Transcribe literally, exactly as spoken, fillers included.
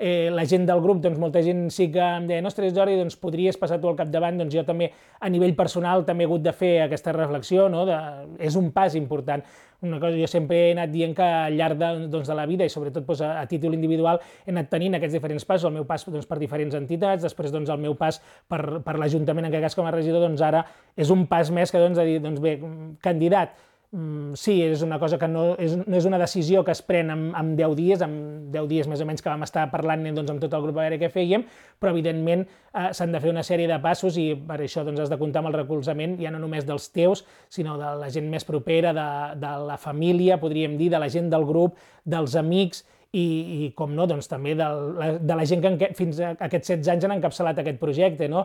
eh, la gent del grup, doncs molta gent sí que em deia, ostres, Jordi, doncs podries passar tu al capdavant, doncs jo també, a nivell personal, també he hagut de fer aquesta reflexió, no? de, és un pas important. Una cosa, jo sempre he anat dient que al llarg de, doncs, de la vida, i sobretot doncs, a, a títol individual, he anat tenint aquests diferents passos, el meu pas doncs, per diferents entitats, després doncs, el meu pas per, per l'Ajuntament, en aquest cas com a regidor, doncs ara és un pas més que doncs, a dir, doncs bé, candidat, sí, és una cosa que no és, no és una decisió que es pren en, en deu dies, en deu dies més o menys que vam estar parlant doncs, amb tot el grup a veure què fèiem, però evidentment eh, s'han de fer una sèrie de passos i per això doncs, has de comptar amb el recolzament ja no només dels teus, sinó de la gent més propera, de, de la família, podríem dir, de la gent del grup, dels amics, i, i com no, doncs també de la, de la gent que en, fins a aquests setze anys han encapçalat aquest projecte, no?